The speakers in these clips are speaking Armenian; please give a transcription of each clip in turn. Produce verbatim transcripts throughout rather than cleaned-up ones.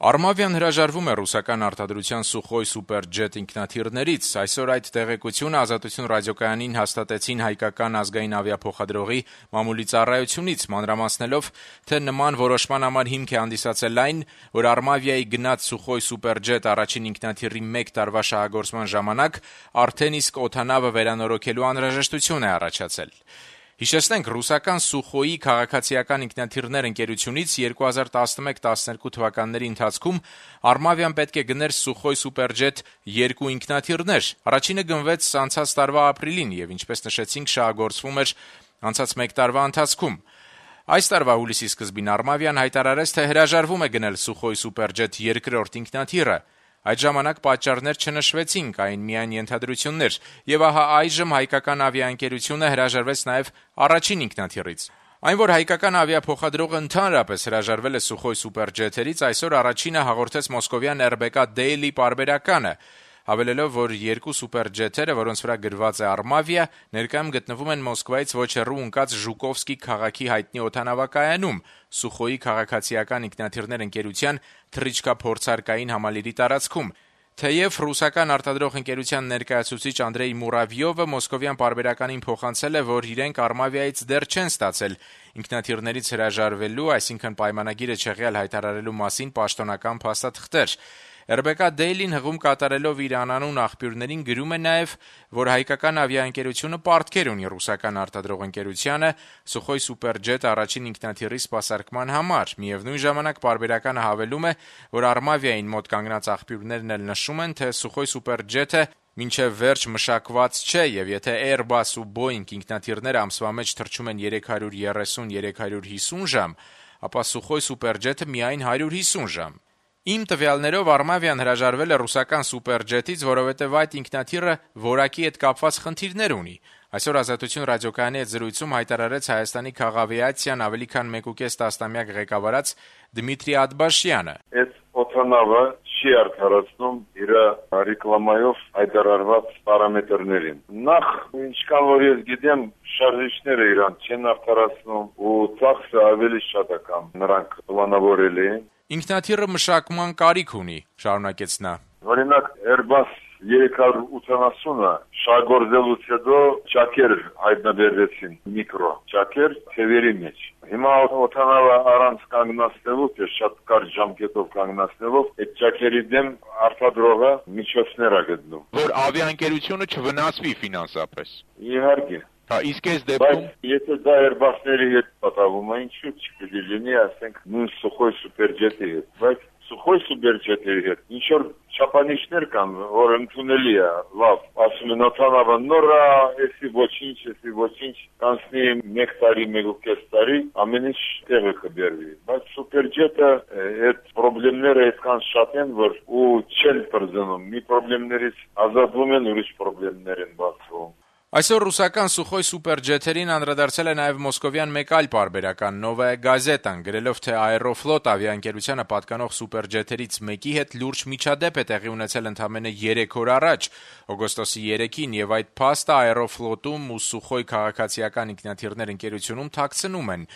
Արմավիան հրաժարվում է ռուսական արտադրության Սուխոյ սուպերջեթ ինքնաթիռներից։ Այսօր այդ տեղեկությունը Ազատություն ռադիոկայանին հաստատեցին հայկական ազգային ավիափոխադրողի մամուլի ծառայությունից, մանրամասնելով, թե նման որոշման համար հիմք է հանդիսացել այն, որ Արմավիայի գնած Սուխոյ սուպերջեթ առաջին ինքնաթիռի մեկ տարվա շահագործման ժամանակ արդեն իսկ օդանավը վերանորոգելու անհրաժեշտություն է առաջացել։ Հիշեցնենք, ռուսական Սուխոյի քաղաքացիական ինքնաթիռներ ընկերությունից երկու հազար տասնմեկ տասներկու թվականների ընթացքում Արմավիան պետք է գներ Սուխոյ սուպերջեթ երկու ինքնաթիռներ։ Առաջինը գնվեց անցած տարվա ապրիլին եւ, ինչպես նշեցինք, շահագործվում էր անցած մեկ տարվա ընթացքում։ Այս տարվա հուլիսի սկզբին Արմավիան հայտարարեց, թե հրաժարվում է գնել Սուխոյ սուպերջեթ երկրորդ ինքնաթիռը։ Այդ ժամանակ պատճառներ չնշվեցին, կային միայն ենթադրություններ, եւ ահա այժմ հայկական ավիաընկերությունը հրաժարվեց նաեւ առաջին ինքնաթիռից։ Այն, որ հայկական ավիափոխադրողը ընդհանրապես հրաժարվել է Սուխոյ սուպերջեթերից, այսօր առաջինը հաղորդեց մոսկովյան эр бэ կա Daily պարբերականը, հավելելով, որ երկու սուպերջեթերը, որոնց վրա գրված է Արմավիա, ներկայում գտնվում են Մոսկվայից ոչ հեռու ընկած Ժուկովսկի քաղաքի հայտնի օդանավակայանում, Սուխոյի քաղաքացիական ինքնաթիռներ ընկերության թռիչքափորձարկային համալիրի տարածքում։ Թեև ռուսական արտադրող ընկերության ներկայացուցիչ Անդրեյ Մուրավյովը մոսկովյան պարբերականին փոխանցել է, որ իրենք Արմավիայից դեռ չեն ստացել ինքնաթիռներից հրաժարվելու, այսինքն պայմանագիրը չեղյալ հայտարարելու մասին պաշտոնական փաստաթղթեր։ эр бэ կա Daily-ն հղում կատարելով իր անանուն աղբյուրներին գրում է նաև, որ հայկական ավիաընկերությունը պարտքեր ունի ռուսական արտադրող ընկերությանը Սուխոյ սուպերջեթ առաջին ինքնաթիռի սպասարկման համար։ Միևնույն ժամանակ պարբերականը հավելում է, որ Արմավիային մոտ կանգնած աղբյուրներն էլ նշում են, թե Սուխոյ սուպերջեթը մինչև վերջ մշակված չէ, եւ եթե Airbus ու Boeing ինքնաթիռները ամսվա մեջ թռչում են երեք հարյուր երեսուն - երեք հարյուր հիսուն ժամ, ապա Սուխոյ սուպերջեթը միայն հարյուր հիսուն ժամ։ Իմ տվյալներով Արմավիան հրաժարվել է ռուսական սուպերջեթից, որովհետև այդ ինքնաթիռը որակի հետ կապված խնդիրներ ունի։ Այսօր Ազատություն ռադիոկայանի հետ զրույցում հայտարարեց Հայաստանի քաղավիացիան ավելի քան մեկուկես տասնամյակ ղեկավարած Դմիտրի Աթբաշյանը։ Այս օդանավը չի արդարացնում իր ռեկլամայով հայտարարված պարամետրներին։ Նախ, ինչքան որ ես գիտեմ, շարժիչները իրան չեն արդարացնում ու ծախսը ավելի շատ է կամ նրանք պլանավորել են։ Ինքնաթիռը մշակման կարիք ունի, շարունակեց նա։ Օրինակ, Airbus երեք հարյուր ութանասունը շահգործելուց հետո ճակեր հայտնաբերվեցին, միկրո ճակեր թևերի մեջ։ Հիմա օդանավը առանց կանգնացնելով, շատ կարճ ժամկետով կանգնացնելով, այդ ճակերի դեմ արտադրողը միջոցներ է գտնում, որ ավիաընկերությունը չվնասվի ֆինանսապես։ Իհարկե։ Իսկ այս դեպքում, եթե դա Airbus-ների հետ պատահում է, ինչու՞ չպետք լինի, ասենք, նույն Սուխոյ սուպերջեթի հետ, բայց Սուխոյ սուպերջեթերի հետ ինչ որ չափանիշներ կան, որ ընդունելի է, լավ, ասում են օդանավը նոր է, էսի ոչինչ, էսի ոչինչ, կանցնի մեկ տարի, մեկուկես տարի, ամեն ինչ տեղը կբերվի, բայց սուպերջեթը այդ խնդիրները այդքան շատ են, որ ու չեն բարձրանում, մի խնդիրներից ազատվում են, ուրիշ խնդիրներ են բացվում։ Այսօր ռուսական Սուխոյ սուպերջեթերին անդրադարձել է նաև մոսկովյան մեկ այլ պարբերական Նովայա Գազետան, գրելով, թե Aeroflot ավիաընկերությանը պատկանող սուպերջեթերից մեկի հետ լուրջ միջադեպ է տեղի ունեցել ընդամենը երեք օր առաջ, օգոստոսի երեքին, եւ այդ փաստը Aeroflot-ում ու Սուխոյ քաղաքացիական ինքնաթիռներ ընկերությունում թաքցնում են,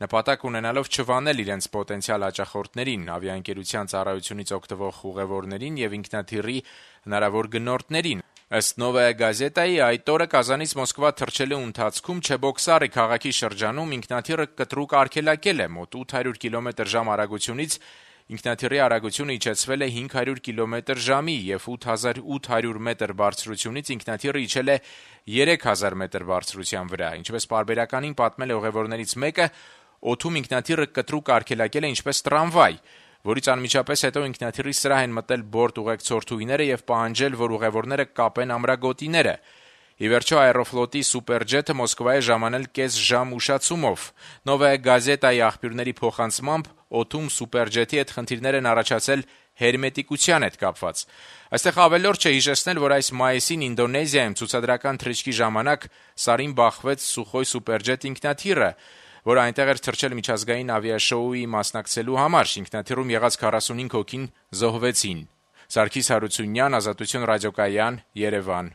նպատակ ունենալով չվանել իրենց պոտենցիալ հաճախորդներին, ավիաընկերության ծառայությունից օգտվող ուղևորներին եւ ինքնաթիռի հնարավոր գնորդներին։ Ըստ Նովայա Գազետայի, այդ օրը Կազանից Մոսկվա թռչելու ընթացքում Չեբոքսարի քաղաքի շրջանում ինքնաթիռը կտրուկ արգելակել է մոտ ութ հարյուր կիլոմետր ժամ արագությունից, ինքնաթիռի արագությունը իջեցվել է հինգ հարյուր կիլոմետր ժամի եւ ութ հազար ութ հարյուր մետր բարձրությունից ինքնաթիռը իջել է երեք հազար մետր բարձրության վրա, ինչպես պարբերականին պատմել է ուղևորներից մեկը, օդում ինքնաթիռը կտրուկ արգելակել է ինչպես տրամվայ, որից անմիջապես հետո ինքնաթիռի սրահ են մտել բորտ ուղեկցորդուհիները եւ պահանջել, որ ուղևորները կապեն ամրագոտիները։ Ի վերջո Aeroflot-ի սուպերջեթը Մոսկվա է ժամանել կես ժամ ուշացումով։ Նովայա Գազետայի աղբյուրների փոխանցմամբ օդում սուպերջեթի հետ խնդիրներ են առաջացել հերմետիկության հետ կապված։ Այստեղ ավելորդ չէ հիշեցնել, որ այս մայիսին Ինդոնեզիայում ցուցադրական թռիչքի ժամանակ Սարին բախվեց Սուխոյ սուպերջեթ ինքնաթիռը, որը այնտեղ էր թռչել միջազգային ավիաշոուի մասնակցելու համար, ինքնաթիռում եղած քառասունհինգ հոգին զոհվեցին։ Սարգիս Հարությունյան, Ազատություն ռադիոկայան, Երևան։